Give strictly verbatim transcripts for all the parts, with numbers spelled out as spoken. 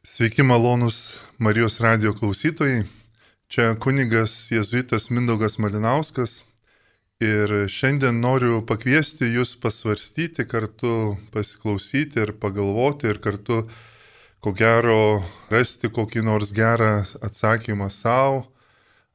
Sveiki malonus Marijos radijo klausytojai. Čia kunigas jėzuitas Mindaugas Malinauskas ir šiandien noriu pakviesti jūs pasvarstyti kartu, pasiklausyti ir pagalvoti ir kartu, ko gero, rasti kokį nors gerą atsakymą savo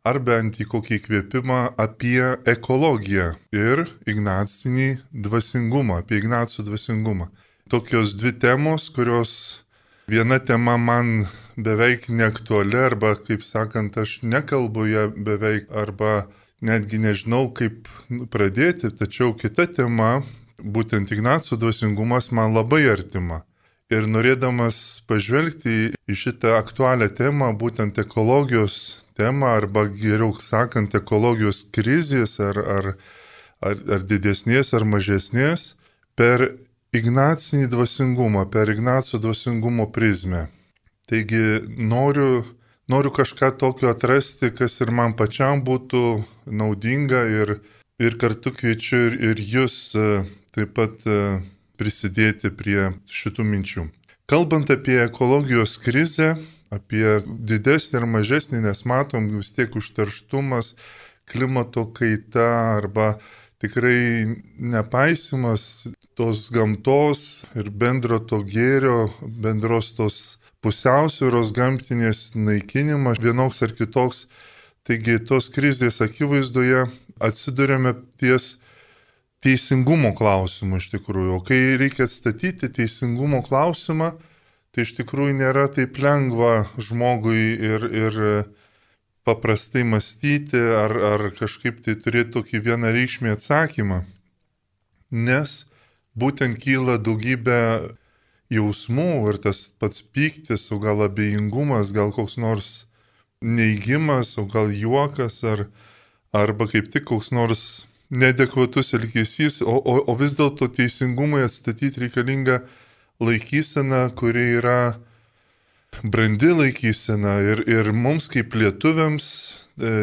ar bent į kokį įkvėpimą apie ekologiją ir ignacinį dvasingumą, apie Ignacų dvasingumą. Tokios dvi temos, kurios viena tema man beveik neaktuali, arba, kaip sakant, aš nekalbu ją beveik, arba netgi nežinau, kaip pradėti, tačiau kita tema, būtent Ignacų dvasingumas, man labai artima. Ir norėdamas pažvelgti į šitą aktualią temą, būtent ekologijos temą, arba geriau sakant, ekologijos krizės, ar, ar, ar, ar didesnės, ar mažesnės, per Ignacinį dvasingumą, per Ignaco dvasingumo prizmę. Taigi noriu, noriu kažką tokio atrasti, kas ir man pačiam būtų naudinga ir, ir kartu kviečiu ir, ir jūs taip pat prisidėti prie šitų minčių. Kalbant apie ekologijos krizę, apie didesnį ir mažesnį, nes matom vis tiek užterštumas, klimato kaita arba tikrai nepaisimas tos gamtos ir bendro to gėrio, bendros tos pusiausvyros gamtinės naikinimas vienoks ar kitoks. Taigi tos krizės akivaizdoje atsiduriame ties teisingumo klausimu iš tikrųjų. O kai reikia atstatyti teisingumo klausimą, tai iš tikrųjų nėra taip lengva žmogui ir, ir paprastai mąstyti ar, ar kažkaip tai turėti tokį vienareikšmį atsakymą. Nes būtent kyla daugybė jausmų ir tas pats pyktis, o gal abejingumas, gal koks nors neigimas, o gal juokas, ar, arba kaip tik koks nors neadekvatus elgesys, o, o, o vis dėlto teisingumui atstatyti reikalinga laikysena, kuri yra brandi laikysena ir, ir mums kaip lietuviams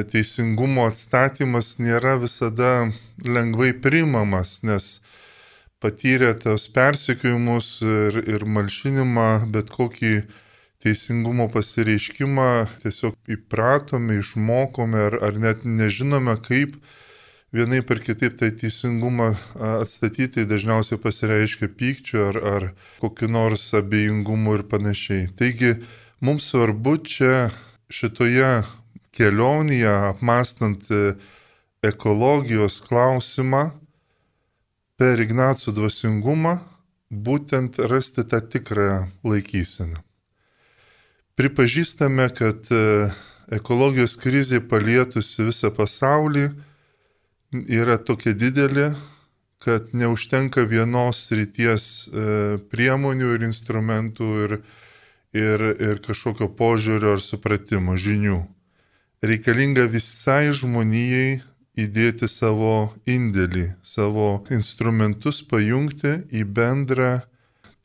teisingumo atstatymas nėra visada lengvai priimamas, nes patyrę tos persekiojimus ir, ir malšinimą, bet kokį teisingumo pasireiškimą tiesiog įpratome, išmokome ar, ar net nežinome, kaip vienai per kitaip tai teisingumą atstatyti, dažniausiai pasireiškia pykčiu ar, ar kokiu nors abejingumu ir panašiai. Taigi mums svarbu čia šitoje kelionėje, apmąstant ekologijos klausimą, per Ignacų dvasingumą būtent rasti tą tikrą laikyseną. Pripažįstame, kad ekologijos krizė palietusi visą pasaulį yra tokia didelė, kad neužtenka vienos srities priemonių ir instrumentų ir, ir, ir kažkokio požiūrio ar supratimo, žinių. Reikalinga visai žmonijai įdėti savo indėlį, savo instrumentus pajungti į bendrą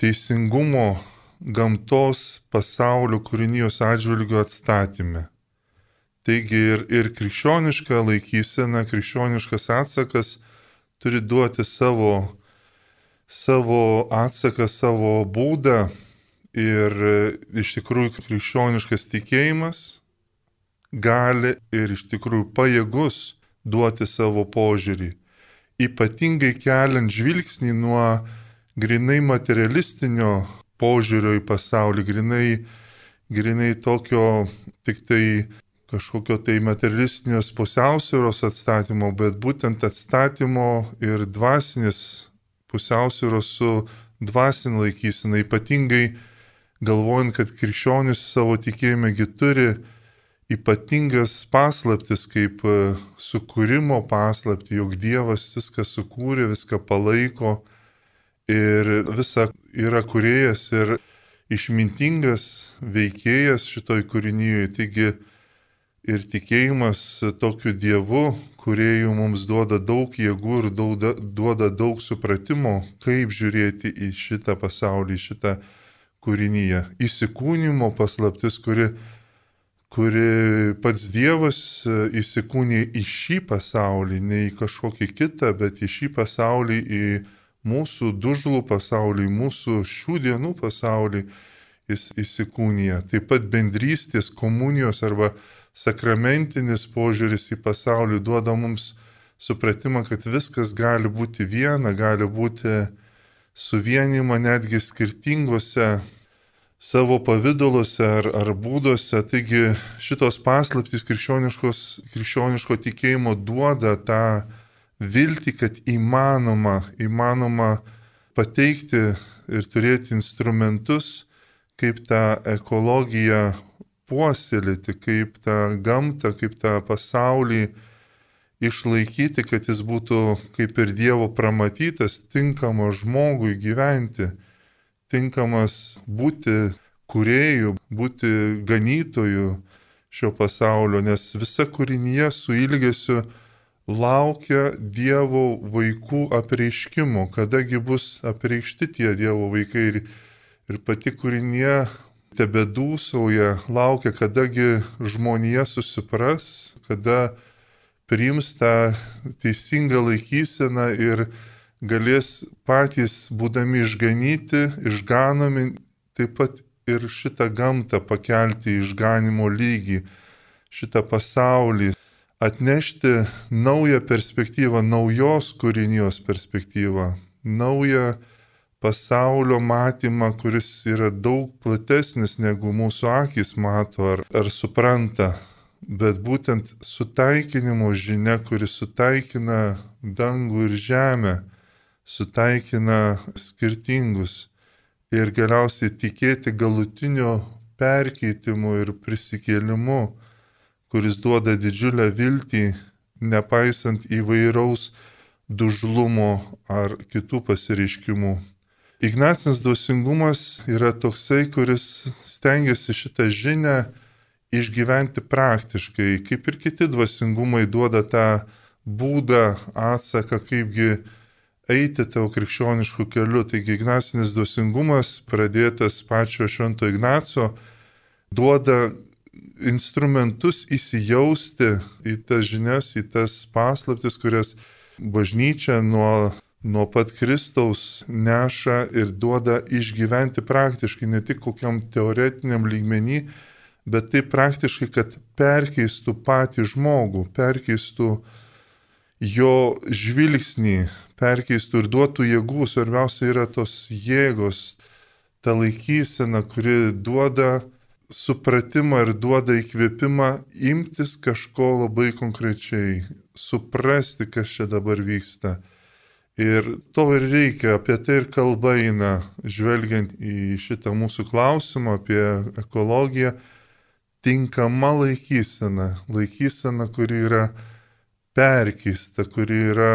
teisingumo gamtos pasaulio kūrinijos atžvilgių atstatymę. Taigi ir, ir krikščioniška laikysena, krikščioniškas atsakas turi duoti savo, savo atsaką, savo būdą ir iš tikrųjų krikščioniškas tikėjimas gali ir iš tikrųjų pajėgus duoti savo požiūrį, ypatingai keliant žvilgsnį nuo grinai materialistinio požiūrio į pasaulį, grinai, grinai tokio tik tai kažkokio tai materialistinės pusiausvyros atstatymo, bet būtent atstatymo ir dvasinės pusiausvyros su dvasinė laikysena, ypatingai galvojant, kad krikščionis savo tikėjimegi turi ypatingas paslaptis, kaip sukūrimo paslapti, jog Dievas viską sukūrė, viską palaiko ir visa yra kūrėjas ir išmintingas veikėjas šitoj kūrinyje. Taigi ir tikėjimas tokiu Dievu, kūrėju mums duoda daug jėgų ir duoda, duoda daug supratimo, kaip žiūrėti į šitą pasaulį, šitą kūrinyje. Įsikūnimo paslaptis, kuri kuri pats Dievas įsikūnė į šį pasaulį, ne į kažkokį kitą, bet į šį pasaulį, į mūsų dužlų pasaulį, į mūsų šių dienų pasaulį, jis įsikūnija. Taip pat bendrystės, komunijos arba sakramentinis požiūris į pasaulį duoda mums supratimą, kad viskas gali būti viena, gali būti suvienima netgi skirtingose savo pavidaluose ar, ar būduose. Taigi šitos paslaptys krikščioniško tikėjimo duoda tą viltį, kad įmanoma, įmanoma pateikti ir turėti instrumentus, kaip tą ekologiją puoselėti, kaip tą gamtą, kaip tą pasaulį išlaikyti, kad jis būtų kaip ir Dievo pramatytas, tinkamas žmogui gyventi, tinkamas būti kūrėjų, būti ganytojų šio pasaulio, nes visa kūrinyje su ilgesiu laukia Dievo vaikų apreiškimo, kadagi bus apreikšti tie Dievo vaikai ir, ir pati kūrinyje tebedūsauja, laukia, kadagi žmonija susipras, kada priims tą teisingą laikyseną ir galės patys, būdami išganyti, išganomi, taip pat ir šitą gamtą pakelti į išganimo lygį, šitą pasaulį, atnešti naują perspektyvą, naujos kūrinijos perspektyvą, naują pasaulio matymą, kuris yra daug platesnis negu mūsų akis mato ar, ar supranta. Bet būtent sutaikinimo žinia, kuris sutaikina dangų ir žemę, sutaikina skirtingus ir galiausiai tikėti galutinio perkeitimu ir prisikėlimu, kuris duoda didžiulę viltį, nepaisant įvairaus dužlumo ar kitų pasireiškimų. Ignacinis dvasingumas yra toksai, kuris stengiasi šitą žinią išgyventi praktiškai, kaip ir kiti dvasingumai duoda tą būdą, atsaką, kaipgi eiti tavo krikščionišku keliu. Taigi Ignacinis dvasingumas, pradėtas pačio Švento Ignaco, duoda instrumentus įsijausti į tas žinias, į tas paslaptis, kurias bažnyčia nuo, nuo pat Kristaus neša ir duoda išgyventi praktiškai, ne tik kokiam teoretiniam lygmenį, bet tai praktiškai, kad perkeistų patį žmogų, perkeistų jo žvilgsnį, perkeistų ir duotų jėgų. Svarbiausia yra tos jėgos, ta laikysena, kuri duoda supratimą ir duoda įkvėpimą imtis kažko labai konkrečiai, suprasti, kas čia dabar vyksta. Ir to ir reikia, apie tai ir kalba eina, žvelgiant į šitą mūsų klausimą apie ekologiją. Tinkama laikysena, laikysena, kuri yra perkeista, kuri yra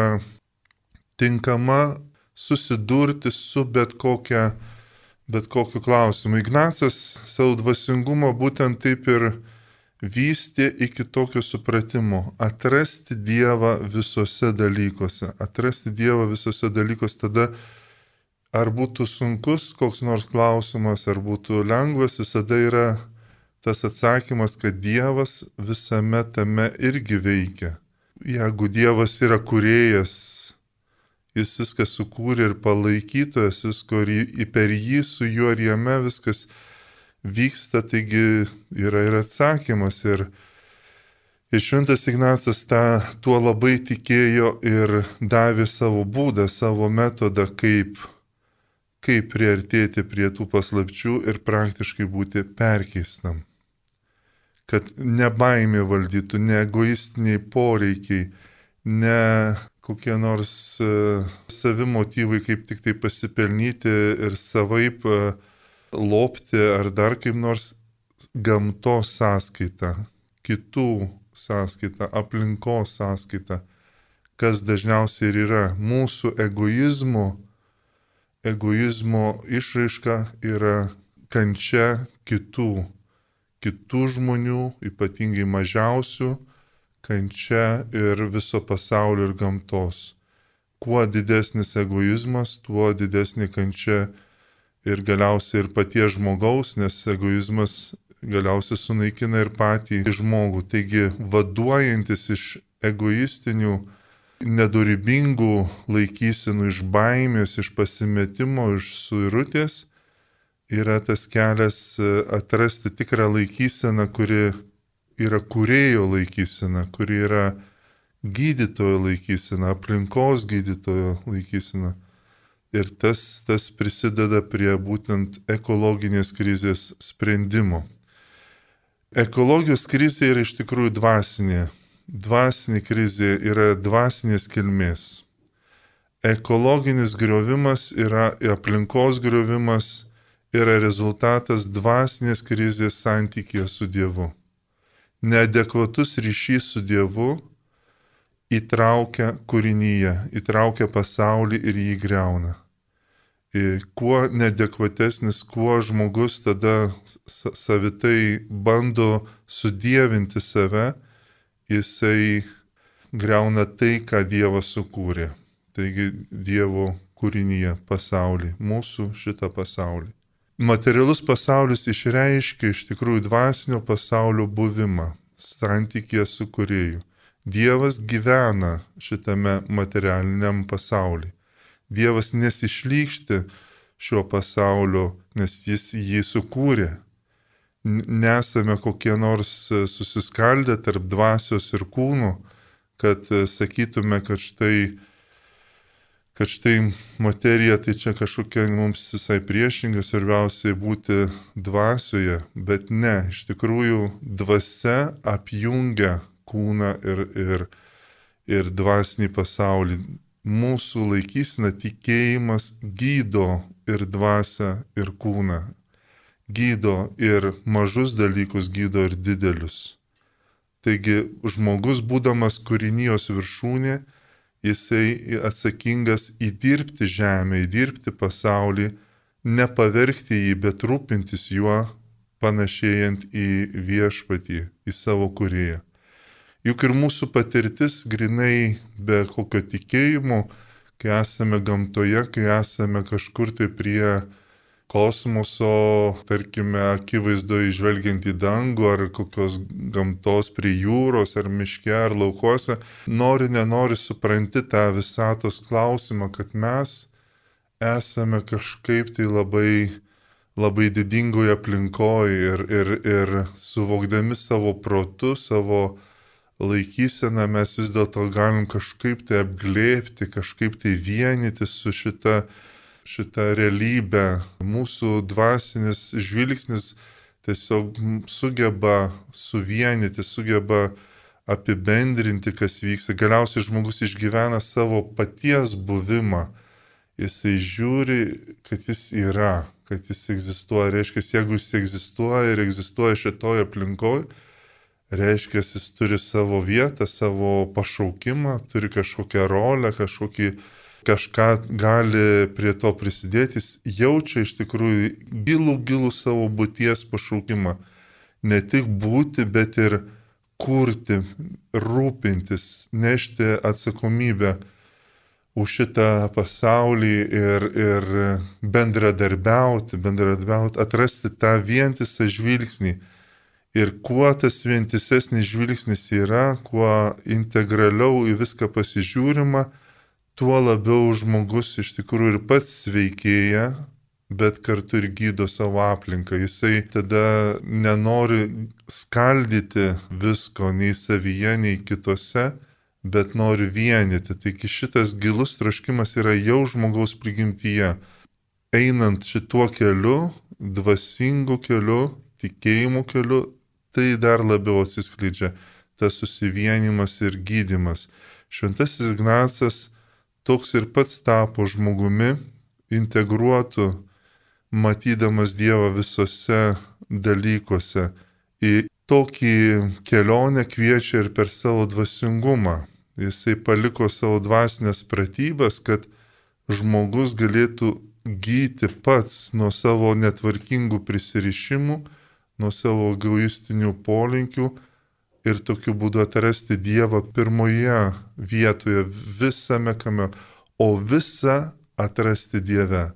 tinkama susidurti su bet, kokia, bet kokiu klausimu. Ignacas savo dvasingumą būtent taip ir vystė iki tokio supratimo. Atrasti Dievą visose dalykuose. Atrasti Dievą visose dalykuose tada, ar būtų sunkus koks nors klausimas, ar būtų lengvas, visada yra tas atsakymas, kad Dievas visame tame irgi veikia. Jeigu Dievas yra kūrėjas, jis viską sukūrė ir palaikytojas, visko ir per jį, su juo ir jame viskas vyksta, taigi yra ir atsakymas. Ir, ir Šventas Ignacas tą, tuo labai tikėjo ir davė savo būdą, savo metodą, kaip, kaip priartėti prie tų paslapčių ir praktiškai būti perkeistam. Kad ne baimė valdytų, ne egoistiniai poreikiai, ne kokie nors uh, savimotyvai, kaip tik tai pasipelnyti ir savaip uh, lopti ar dar kaip nors gamtos sąskaita, kitų sąskaita, aplinkos sąskaita, kas dažniausiai ir yra mūsų egoizmo, egoizmo išraiška yra kančia kitų. kitų žmonių, ypatingai mažiausių, kančia ir viso pasaulio ir gamtos. Kuo didesnis egoizmas, tuo didesnė kančia ir galiausiai ir paties žmogaus, nes egoizmas galiausiai sunaikina ir patį žmogų. Taigi, vaduojantis iš egoistinių, nedorybingų laikysenų, iš baimės, iš pasimetimo, iš suirutės, yra tas kelias atrasti tikrą laikyseną, kuri yra kūrėjo laikysena, kuri yra gydytojo laikysena, aplinkos gydytojo laikysena. Ir tas, tas prisideda prie būtent ekologinės krizės sprendimo. Ekologijos krizė yra iš tikrųjų dvasinė. Dvasinė krizė yra dvasinės kilmės. Ekologinis griovimas yra aplinkos griovimas, yra rezultatas dvasinės krizės santykėje su Dievu. Neadekvatus ryšys su Dievu įtraukia kūrinyje, įtraukia pasaulį ir jį griauna. Ir kuo neadekvatesnis, kuo žmogus tada savitai bando sudievinti save, jisai griauna tai, ką Dievas sukūrė. Taigi Dievo kūrinyje pasaulį, mūsų šitą pasaulį. Materialus pasaulis išreiškia iš tikrųjų dvasinio pasaulio buvimą, santykėje su kūrėju. Dievas gyvena šitame materialiniam pasaulyje. Dievas nesišlykšti šio pasaulio, nes jis jį sukūrė. Nesame kokie nors susiskaldę tarp dvasios ir kūnų, kad sakytume, kad štai, kad štai materija tai čia kažkokia mums visai priešinga, svarbiausiai būti dvasioje, bet ne, iš tikrųjų dvasia apjungia kūną ir, ir, ir dvasinį pasaulį. Mūsų laikysena tikėjimas gydo ir dvasią, ir kūną. Gydo ir mažus dalykus, gydo ir didelius. Taigi žmogus, būdamas kūrinijos viršūnė, jisai atsakingas įdirbti žemę, įdirbti pasaulį, nepavergti jį, bet rūpintis juo, panašėjant į viešpatį, į savo kūrėją. Juk ir mūsų patirtis grinai be kokio tikėjimo, kai esame gamtoje, kai esame kažkur tai prie kosmoso, tarkime, akivaizdoje žvelgiant į dangų ar kokios gamtos prie jūros ar miške ar laukuose, nori nenori supranti tą visatos klausimą, kad mes esame kažkaip tai labai, labai didingoje aplinkoje ir, ir, ir suvokdami savo protu, savo laikyseną mes vis dėlto galim kažkaip tai apglėbti, kažkaip tai vienyti su šita, šita realybė. Mūsų dvasinis žvilgsnis tiesiog sugeba suvienyti, sugeba apibendrinti, kas vyksta. Galiausiai žmogus išgyvena savo paties buvimą. Jisai žiūri, kad jis yra, kad jis egzistuoja. Reiškia, jeigu jis egzistuoja ir egzistuoja šitoje aplinkoje, reiškia, jis turi savo vietą, savo pašaukimą, turi kažkokią rolę, kažkokį, kažką gali prie to prisidėti, jis jaučia iš tikrųjų gilų, gilų savo būties pašaukimą. Ne tik būti, bet ir kurti, rūpintis, nešti atsakomybę už šitą pasaulį ir, ir bendradarbiauti, bendradarbiauti, atrasti tą vientisą žvilgsnį. Ir kuo tas vientisesnis žvilgsnis yra, kuo integraliau į viską pasižiūrima, tuo labiau žmogus iš tikrųjų ir pats sveikėja, bet kartu ir gydo savo aplinką. Jisai tada nenori skaldyti visko nei savyje, nei kitose, bet nori vienyti. Taigi šitas gilus troškimas yra jau žmogaus prigimtyje. Einant šituo keliu, dvasingu keliu, tikėjimo keliu, tai dar labiau atsiskleidžia tas susivienimas ir gydymas. Šventasis Ignacas toks ir pats tapo žmogumi, integruotu, matydamas Dievą visose dalykuose. Į tokį kelionę kviečia ir per savo dvasingumą. Jisai paliko savo dvasinės pratybas, kad žmogus galėtų gyti pats nuo savo netvarkingų prisirišimų, nuo savo egoistinių polinkių ir tokiu būdu atrasti Dievą pirmoje vietoje visame kame, o visą atrasti Dieve.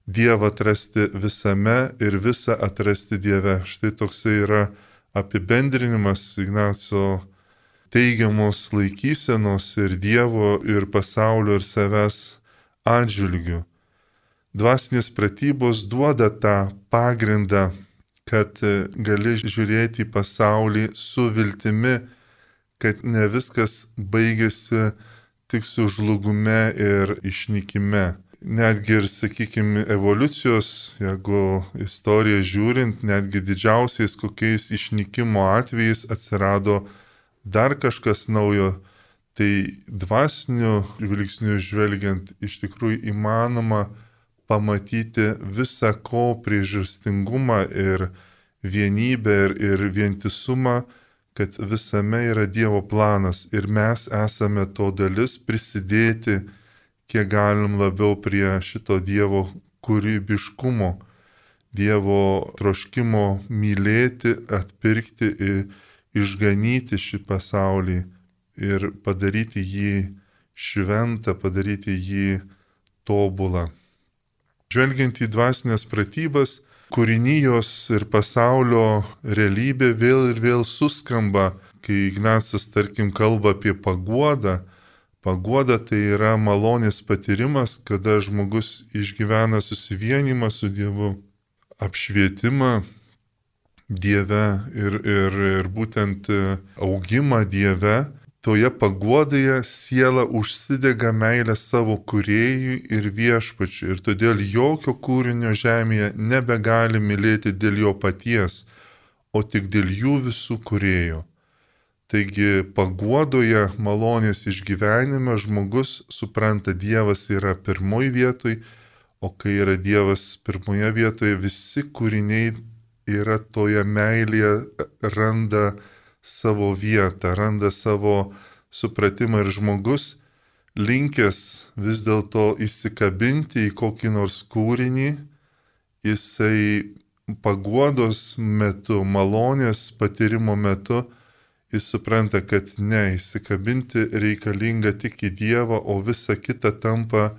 Dievą atrasti visame ir visą atrasti Dieve. Štai toksai yra apibendrinimas Ignaco teigiamos laikysenos ir Dievo, ir pasaulio, ir savęs atžvilgių. Dvasinės pratybos duoda tą pagrindą, kad gali žiūrėti į pasaulį su viltimi, kad ne viskas baigėsi tik su žlugume ir išnykime. Netgi ir, sakykime, evoliucijos, jeigu istoriją žiūrint, netgi didžiausiais kokiais išnykimo atvejais atsirado dar kažkas naujo, tai dvasiniu žvilgsniu žvelgiant iš tikrųjų įmanoma pamatyti visą ko priežastingumą ir vienybę ir, ir vientisumą, kad visame yra Dievo planas ir mes esame to dalis prisidėti, kiek galim labiau prie šito Dievo kūrybiškumo, Dievo troškimo mylėti, atpirkti ir išganyti šį pasaulį ir padaryti jį šventą, padaryti jį tobulą. Žvelgiant į dvasinės pratybas, kūrinijos ir pasaulio realybė vėl ir vėl suskamba, kai Ignacas, tarkim, kalba apie paguodą. Paguoda tai yra malonės patyrimas, kada žmogus išgyvena susivienimą su Dievu, apšvietimą Dieve ir, ir, ir būtent augimą Dieve. Toje paguodoje siela užsidega meilę savo kūrėjui ir viešpačiui ir todėl jokio kūrinio žemėje nebegali mylėti dėl jo paties, o tik dėl jų visų kūrėjo. Taigi paguodoje malonės išgyvenime žmogus supranta, Dievas yra pirmoji vietoj, o kai yra Dievas pirmoje vietoje, visi kūriniai yra toje meilėje, randa savo vietą, randa savo supratimą ir žmogus linkęs vis dėlto įsikabinti į kokį nors kūrinį, jisai paguodos metu, malonės patyrimo metu, jis supranta, kad ne, įsikabinti reikalinga tik į Dievą, o visa kita tampa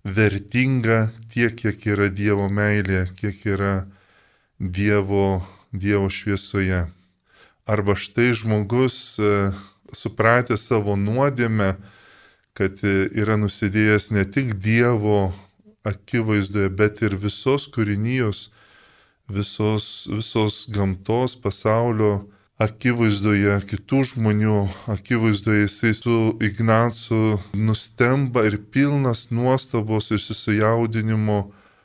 vertinga tiek, kiek yra Dievo meilė, kiek yra Dievo, Dievo šviesoje. Arba štai žmogus, supratęs savo nuodėmę, kad yra nusidėjęs ne tik Dievo akivaizdoje, bet ir visos kūrinijos, visos, visos gamtos, pasaulio akivaizdoje, kitų žmonių akivaizdoje, jisai su Ignacu nustemba ir pilnas nuostabos ir susijaudinimo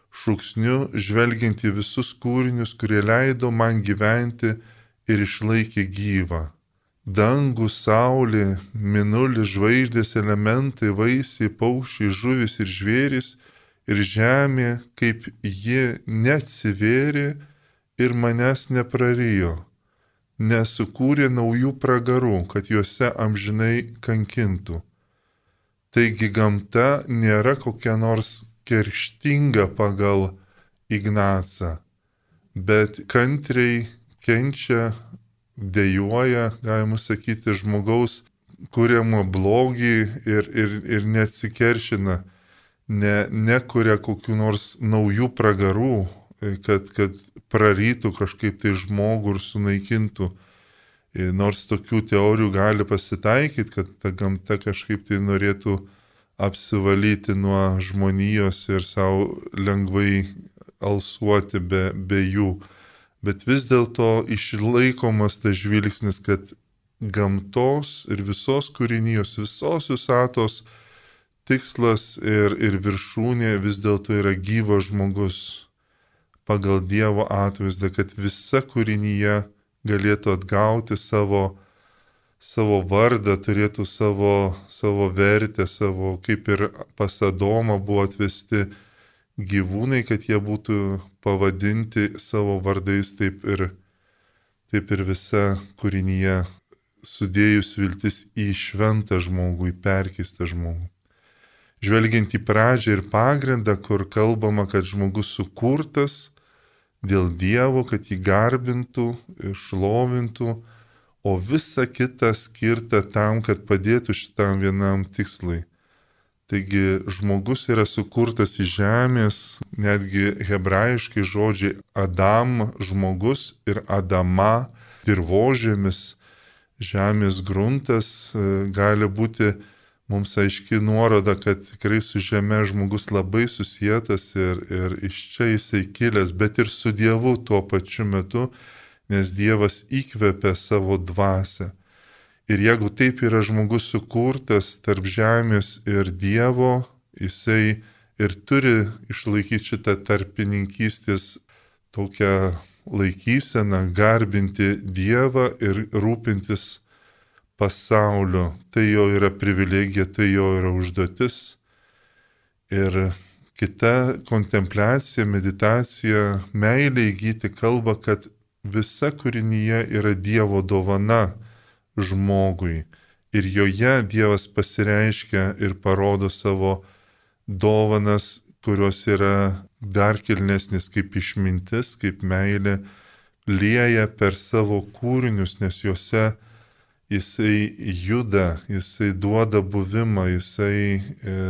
šūksniu, žvelgiant į visus kūrinius, kurie leido man gyventi ir išlaikė gyvą. Dangų, saulė, mėnulis, žvaigždės, elementai, vaisiai, paukščiai, žuvis ir žvėris ir žemė, kaip ji neatsivėrė ir manęs neprarijo, nesukūrė naujų pragarų, kad juose amžinai kankintų. Taigi gamta nėra kokia nors kerštinga pagal Ignacą, bet kantriai kenčia, dejuoja, galima sakyti, žmogaus kuriamą blogį ir, ir, ir neatsikeršina, ne, nekuria kokių nors naujų pragarų, kad, kad prarytų kažkaip tai žmogų ir sunaikintų. Nors tokių teorijų gali pasitaikyti, kad ta gamta kažkaip tai norėtų apsivalyti nuo žmonijos ir savo lengvai alsuoti be, be jų. Bet vis dėlto išlaikomas tas žvilgsnis, kad gamtos ir visos kūrinijos, visos visatos tikslas ir, ir viršūnė vis dėlto yra gyvas žmogus pagal Dievo atvaizdą, kad visa kūrinyje galėtų atgauti savo, savo vardą, turėtų savo, savo vertę, savo, kaip ir pas Adomą buvo atvesti gyvūnai, kad jie būtų pavadinti savo vardais, taip ir, taip ir visa kūrinyje sudėjus viltis į šventą žmogų, į perkeistą žmogų. Žvelgiant į pradžią ir pagrindą, kur kalbama, kad žmogus sukurtas dėl Dievo, kad jį garbintų, šlovintų, o visa kita skirta tam, kad padėtų šitam vienam tikslui. Taigi žmogus yra sukurtas iš žemės, netgi hebrajiškai žodžiai Adam, žmogus ir Adama, dirvožėmis, žemės gruntas gali būti mums aiški nuoroda, kad tikrai su žeme žmogus labai susietas ir, ir iš čia jisai kilęs, bet ir su Dievu tuo pačiu metu, nes Dievas įkvepia savo dvasią. Ir jeigu taip yra žmogus sukurtas tarp žemės ir Dievo, jisai ir turi išlaikyti šitą tarpininkystės tokią laikyseną, garbinti Dievą ir rūpintis pasaulio. Tai jo yra privilegija, tai jo yra užduotis. Ir kita kontempliacija, meditacija, meilė įgyti kalba, kad visa kūrinyje yra Dievo dovana žmogui. Ir joje Dievas pasireiškia ir parodo savo dovanas, kurios yra dar kilnesnis kaip išmintis, kaip meilė, lieja per savo kūrinius, nes juose jisai juda, jisai duoda buvimą, jisai e,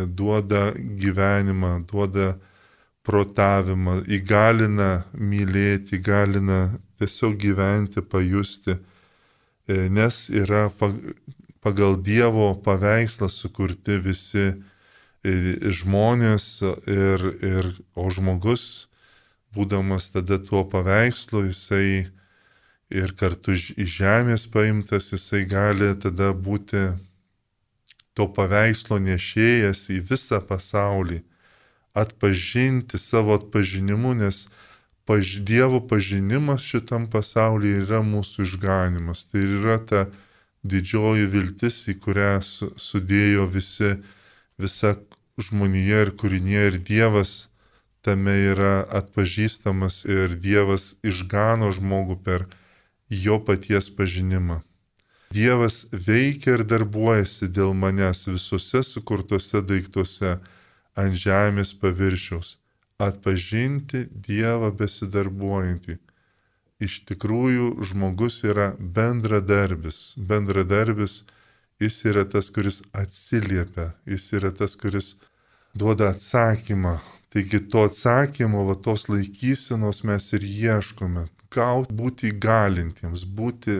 duoda gyvenimą, duoda protavimą, įgalina mylėti, įgalina tiesiog gyventi, pajusti, e, nes yra pagal Dievo paveikslą sukurti visi e, žmonės ir, ir, o žmogus, būdamas tada tuo paveikslu, jisai ir kartu iš žemės paimtas, jisai gali tada būti to paveikslo nešėjas į visą pasaulį, atpažinti savo atpažinimu, nes paž, Dievo pažinimas šitam pasaulyje yra mūsų išganimas. Tai yra ta didžioji viltis, į kurią su, sudėjo visi, visa žmonija ir kūrinė, ir Dievas tame yra atpažįstamas, ir Dievas išgano žmogų per jo paties pažinimą. Dievas veikia ir darbuojasi dėl manęs visuose sukurtuose daiktuose ant žemės paviršiaus. Atpažinti Dievą besidarbuojantį. Iš tikrųjų, žmogus yra bendradarbis. Bendradarbis, jis yra tas, kuris atsiliepia, jis yra tas, kuris duoda atsakymą. Taigi to atsakymo, va tos laikysenos mes ir ieškome. Gauti, būti įgalintiems, būti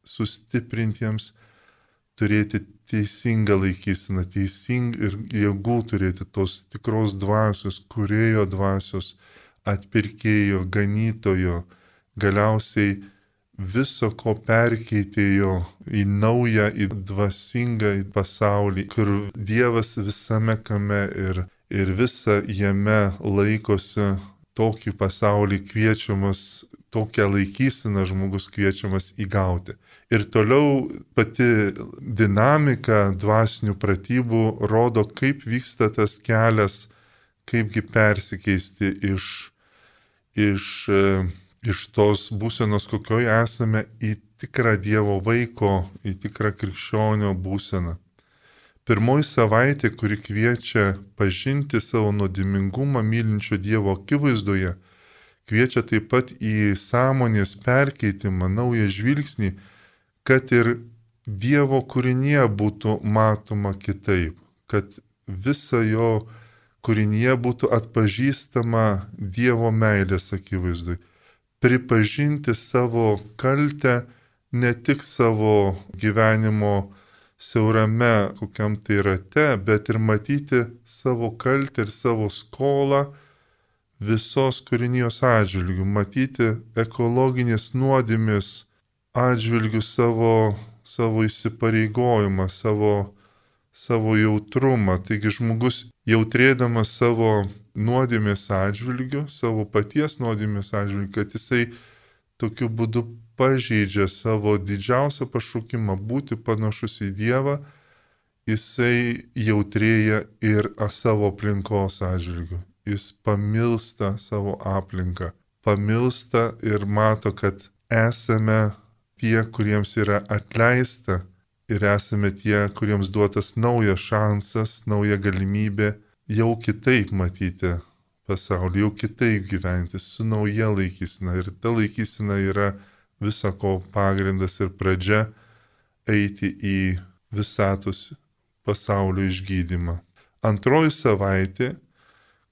sustiprintiems, turėti teisingą laikyseną, teisingą ir jėgų turėti tos tikros dvasios, kūrėjo dvasios, atpirkėjo, ganytojo, galiausiai viso ko perkeitėjo į naują, į dvasingą pasaulį, kur Dievas visame kame ir, ir visa jame laikosi tokį pasaulį kviečiamas, tokią laikyseną žmogus kviečiamas įgauti. Ir toliau pati dinamika dvasinių pratybų rodo, kaip vyksta tas kelias, kaipgi persikeisti iš, iš, iš tos būsenos, kokioje esame, į tikrą Dievo vaiko, į tikrą krikščionio būseną. Pirmoji savaitė, kuri kviečia pažinti savo nuodėmingumą mylinčio Dievo akivaizdoje, kviečia taip pat į sąmonės perkeitimą, naują žvilgsnį, kad ir Dievo kūrinyje būtų matoma kitaip, kad visa jo kūrinyje būtų atpažįstama Dievo meilės akivaizdui. Pripažinti savo kaltę ne tik savo gyvenimo siaurame kokiam tai rate, bet ir matyti savo kaltę ir savo skolą visos kūrinijos atžvilgių, matyti ekologinės nuodėmės atžvilgių savo, savo įsipareigojimą, savo, savo jautrumą. Taigi žmogus jautrėdamas savo nuodėmės atžvilgių, savo paties nuodėmės atžvilgių, kad jisai tokiu būdu pažeidžia savo didžiausią pašaukimą būti panašus į Dievą, jisai jautrėja ir savo aplinkos atžvilgių. Jis pamilsta savo aplinką, pamilsta ir mato, kad esame tie, kuriems yra atleista ir esame tie, kuriems duotas naujas šansas, nauja galimybė jau kitaip matyti pasaulį, jau kitaip gyventi, su nauja laikysena. Ir ta laikysena yra visako pagrindas ir pradžia eiti į visatos pasaulio išgydymą. Antroji savaitė,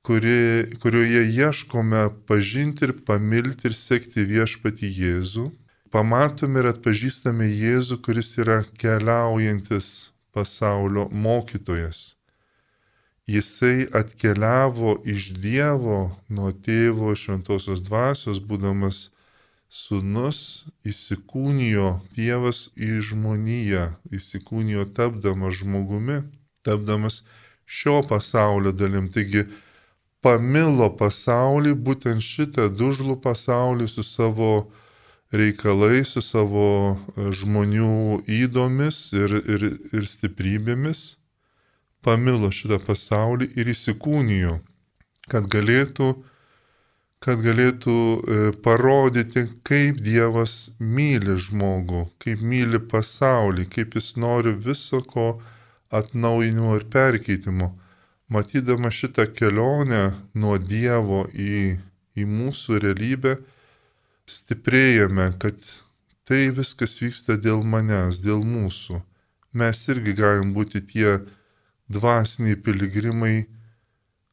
kuri, kurioje ieškome pažinti ir pamilti ir sekti viešpatį Jėzų, pamatome ir atpažįstame Jėzų, kuris yra keliaujantis pasaulio mokytojas. Jisai atkeliavo iš Dievo, nuo tėvo šventosios dvasios, būdamas sūnus, įsikūnijo Dievas į žmoniją, įsikūnijo tapdamas žmogumi, tapdamas šio pasaulio dalim. Taigi pamilo pasaulį, būtent šitą dužlų pasaulį su savo reikalais, su savo žmonių įdomis ir, ir, ir stiprybėmis. Pamilo šitą pasaulį ir įsikūnijo, kad galėtų, kad galėtų parodyti, kaip Dievas myli žmogų, kaip myli pasaulį, kaip jis nori viso ko atnaujinimo ir perkeitimo. Matydama šitą kelionę nuo Dievo į, į mūsų realybę, stiprėjame, kad tai viskas vyksta dėl manęs, dėl mūsų. Mes irgi galim būti tie dvasiniai piligrimai,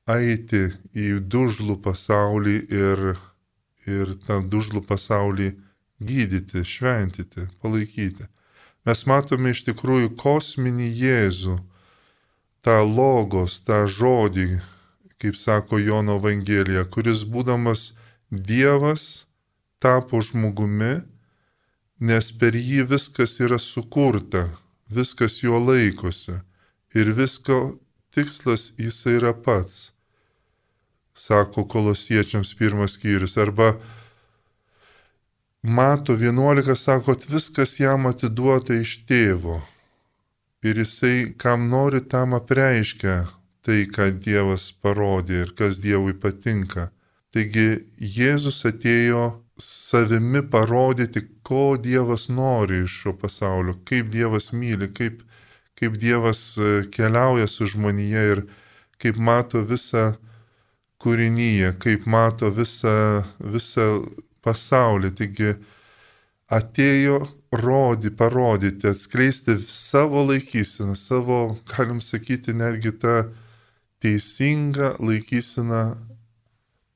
eiti į dužlų pasaulį ir, ir tą dužlų pasaulį gydyti, šventyti, palaikyti. Mes matome iš tikrųjų kosminį Jėzų, tą logos, tą žodį, kaip sako Jono Evangelija, kuris būdamas Dievas tapo žmogumi, nes per jį viskas yra sukurta, viskas jo laikosi. Ir visko tikslas jisai yra pats, sako Kolosiečiams pirmas skyrius. Arba Mato vienuolika sako, kad viskas jam atiduota iš tėvo. Ir jisai, kam nori, tam apreiškia tai, ką Dievas parodė ir kas Dievui patinka. Taigi Jėzus atėjo savimi parodyti, ko Dievas nori iš šio pasaulio, kaip Dievas myli, kaip kaip Dievas keliauja su žmonija ir kaip mato visą kūrinyje, kaip mato visą, visą pasaulį. Taigi atėjo rodi, parodyti, atskleisti savo laikyseną, savo, galim sakyti, netgi tą teisingą laikyseną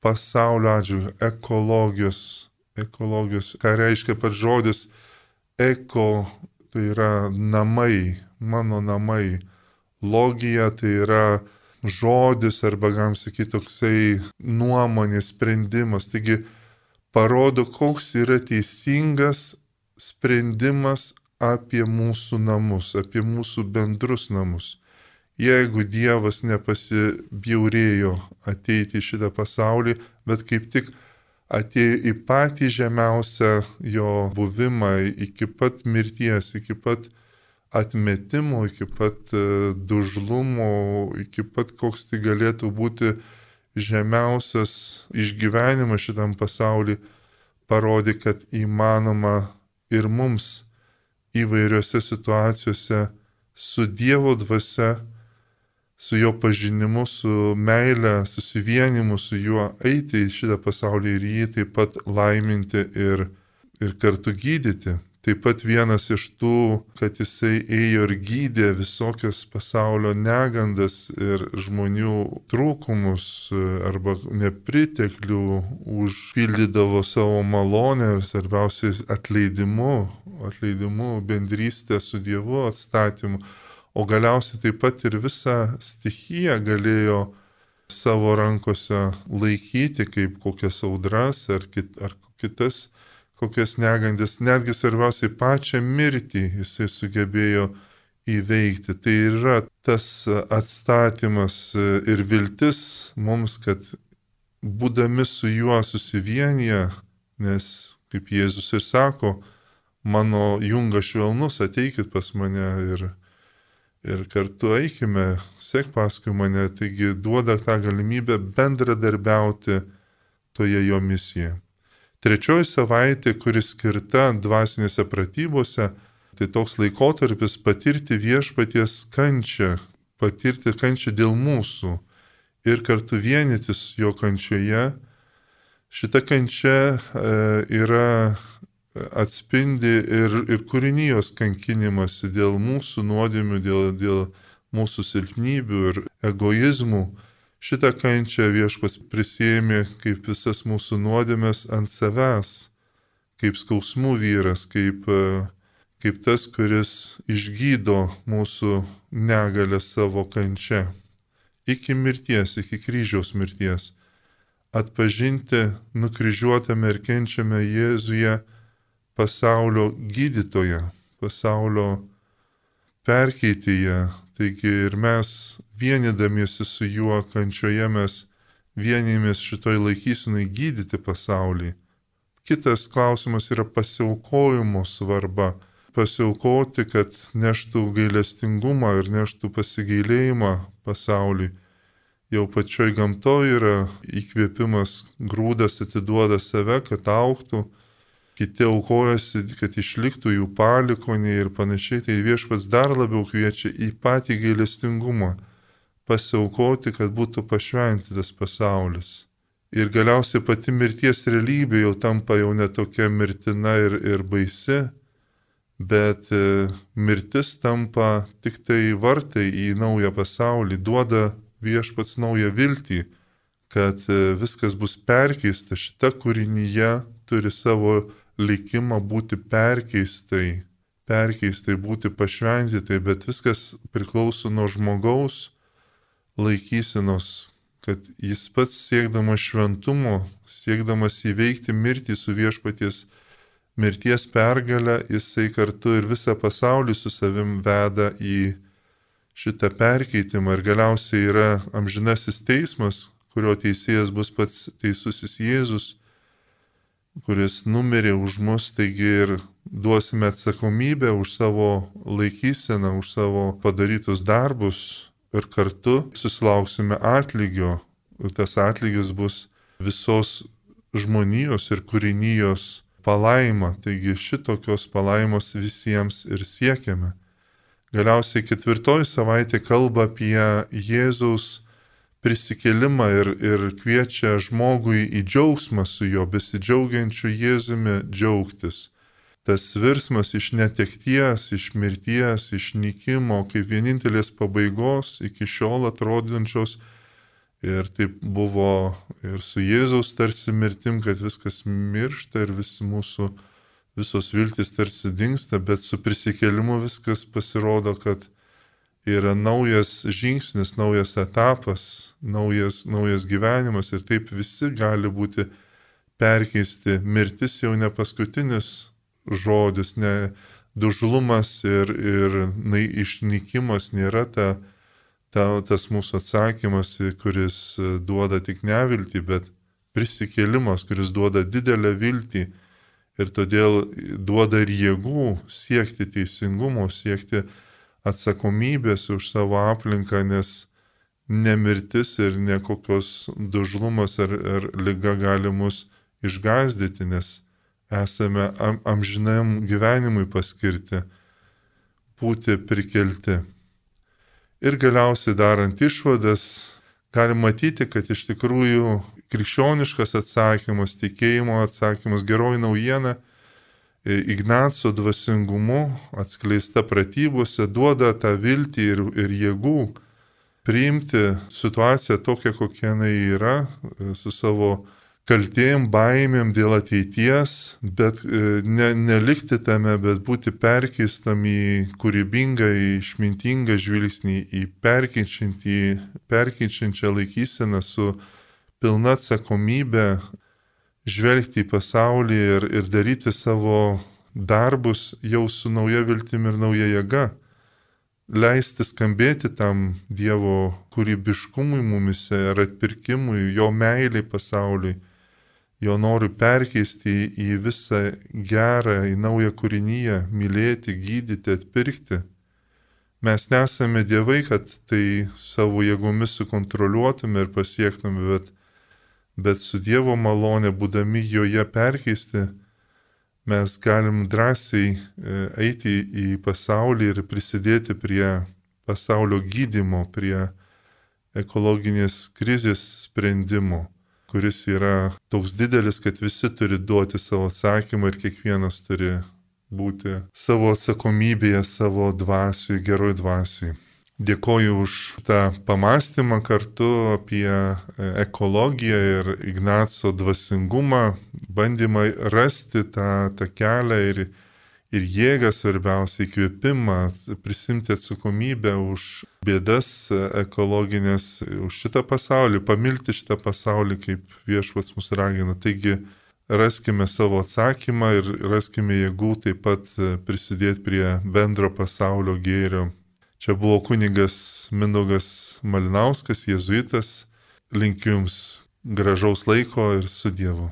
pasaulio atžvilgiu, ekologijos, ekologijos, ką reiškia pats žodis eko, tai yra namai, mano namai. Logija tai yra žodis arba, galim sakyti, toksai nuomonės sprendimas. Taigi parodo, koks yra teisingas sprendimas apie mūsų namus, apie mūsų bendrus namus. Jeigu Dievas nepasibjaurėjo ateiti į šitą pasaulį, bet kaip tik atėjo į patį žemiausią jo buvimą, iki pat mirties, iki pat atmetimo, iki pat dužlumo, iki pat koks tai galėtų būti žemiausias išgyvenimas šitam pasauliu, parodė, kad įmanoma ir mums įvairiose situacijose su Dievo dvasia, su jo pažinimu, su meile, susivienimu su juo eiti į šitą pasaulį ir jį taip pat laiminti ir, ir kartu gydyti. Taip pat vienas iš tų, kad jisai ėjo ir gydė visokias pasaulio negandas ir žmonių trūkumus arba nepriteklių, užpildydavo savo malonę ir svarbiausiai atleidimu, atleidimu, bendrystę su Dievu, atstatymu. O galiausiai taip pat ir visą stichiją galėjo savo rankose laikyti, kaip kokias audras ar, kit, ar kitas kokias negandas. Netgi svarbiausiai pačią mirtį jisai sugebėjo įveikti. Tai yra tas atstatymas ir viltis mums, kad būdami su juo susivienyje, nes, kaip Jėzus ir sako, mano jungas švelnus, ateikit pas mane ir Ir kartu eikime, sek paskui mane, taigi duoda tą galimybę bendradarbiauti toje jo misijoje. Trečioji savaitė, kuri skirta dvasinėse pratybose, tai toks laikotarpis patirti viešpaties kančią, patirti kančią dėl mūsų ir kartu vienytis jo kančioje. Šita kančia e, yra atspindi ir, ir kūrinijos kankinimasi dėl mūsų nuodėmių, dėl, dėl mūsų silpnybių ir egoizmų. Šitą kančią viešpats prisiėmė kaip visas mūsų nuodėmes ant savęs, kaip skausmų vyras, kaip, kaip tas, kuris išgydo mūsų negalę savo kančia. Iki mirties, iki kryžiaus mirties. Atpažinti nukryžiuotame ir kenčiame Jėzuje pasaulio gydytoją, pasaulio perkeityje. Taigi ir mes vienydamiesi su juo kančioje mes vienymės šitoj laikysinai gydyti pasaulį. Kitas klausimas yra pasiaukojimo svarba. Pasiaukoti, kad neštų gailestingumą ir neštų pasigailėjimą pasauliui. Jau pačioj gamtoje yra įkvėpimas, grūdas atiduoda save, kad augtų, kiti aukojasi, kad išliktų jų palikoniai ir panašiai. Tai Viešpats dar labiau kviečia į patį gailestingumą, pasiaukoti, kad būtų pašventytas pasaulis. Ir galiausiai pati mirties realybė jau tampa jau netokia mirtina ir, ir baisi, bet mirtis tampa tik tai vartai į naują pasaulį, duoda Viešpats naują viltį, kad viskas bus perkeista. Šita kūrinyje turi savo likimą būti perkeistai, perkeistai būti pašventytai, bet viskas priklauso nuo žmogaus laikysenos, kad jis pats siekdamas šventumo, siekdamas įveikti mirtį su Viešpaties mirties pergalę, jisai kartu ir visą pasaulį su savim veda į šitą perkeitimą ir galiausiai yra amžinasis teismas, kurio teisėjas bus pats teisusis Jėzus, kuris numirė už mus, taigi ir duosime atsakomybę už savo laikyseną, už savo padarytus darbus ir kartu susilauksime atlygio. Ir tas atlygis bus visos žmonijos ir kūrinijos palaima, taigi šitokios palaimos visiems ir siekiame. Galiausiai ketvirtoji savaitė kalba apie Jėzaus prisikėlimą ir, ir kviečia žmogui į džiaugsmą su juo, besidžiaugiančiu Jėzumi džiaugtis. Tas virsmas iš netekties, iš mirties, iš nykimo, kaip vienintelės pabaigos iki šiol atrodančios. Ir taip buvo ir su Jėzaus tarsi mirtim, kad viskas miršta ir visi mūsų visos viltis tarsi dingsta, bet su prisikėlimu viskas pasirodo, kad yra naujas žingsnis, naujas etapas, naujas, naujas gyvenimas ir taip visi gali būti perkeisti. Mirtis jau ne paskutinis žodis, ne dužlumas ir, ir na, išnykimas nėra ta, ta, tas mūsų atsakymas, kuris duoda tik neviltį, bet prisikėlimas, kuris duoda didelę viltį. Ir todėl duoda ir jėgų siekti teisingumo, siekti atsakomybės už savo aplinką, nes nemirtis ir nekokios dužlumas ar, ar liga gali mus išgąsdyti, nes esame am, amžinam gyvenimui paskirti, būti prikelti. Ir galiausiai darant išvadas, galim matyti, kad iš tikrųjų krikščioniškas atsakymas, tikėjimo atsakymas, geroji naujiena, Ignaco dvasingumu atskleista pratybose duoda tą viltį ir, ir jėgų priimti situaciją tokią, kokia jinai yra, su savo kaltėjim, baimėm dėl ateities, bet ne, nelikti tame, bet būti perkeistam į kūrybingą, į išmintingą žvilgsnį, į perkeičiančią laikyseną su pilna atsakomybė žvelgti į pasaulį ir, ir daryti savo darbus jau su nauja viltimi ir nauja jėga. Leisti skambėti tam Dievo kūrybiškumui mumise ir atpirkimui, jo meiliai pasauliui, jo noriu perkeisti į, į visą gerą, į naują kūrinyje, mylėti, gydyti, atpirkti. Mes nesame dievai, kad tai savo jėgomis sukontroliuotume ir pasiektume, bet Bet su Dievo malonė, būdami joje perkeisti, mes galim drąsiai eiti į pasaulį ir prisidėti prie pasaulio gydymo, prie ekologinės krizės sprendimo, kuris yra toks didelis, kad visi turi duoti savo atsakymą ir kiekvienas turi būti savo atsakomybėje, savo dvasiui, geroj dvasiui. Dėkoju už tą pamastymą kartu apie ekologiją ir Ignaco dvasingumą, bandymą rasti tą, tą kelią ir ir jėgą, svarbiausia įkvėpimą, prisimti atsakomybę už bėdas ekologinės, už šitą pasaulį, pamilti šitą pasaulį, kaip Viešpats mus ragina. Taigi raskime savo atsakymą ir raskime jėgų taip pat prisidėti prie bendro pasaulio gėrio. Čia buvo kunigas Mindaugas Malinauskas, jėzuitas. Linkiu Jums gražaus laiko ir su Dievu.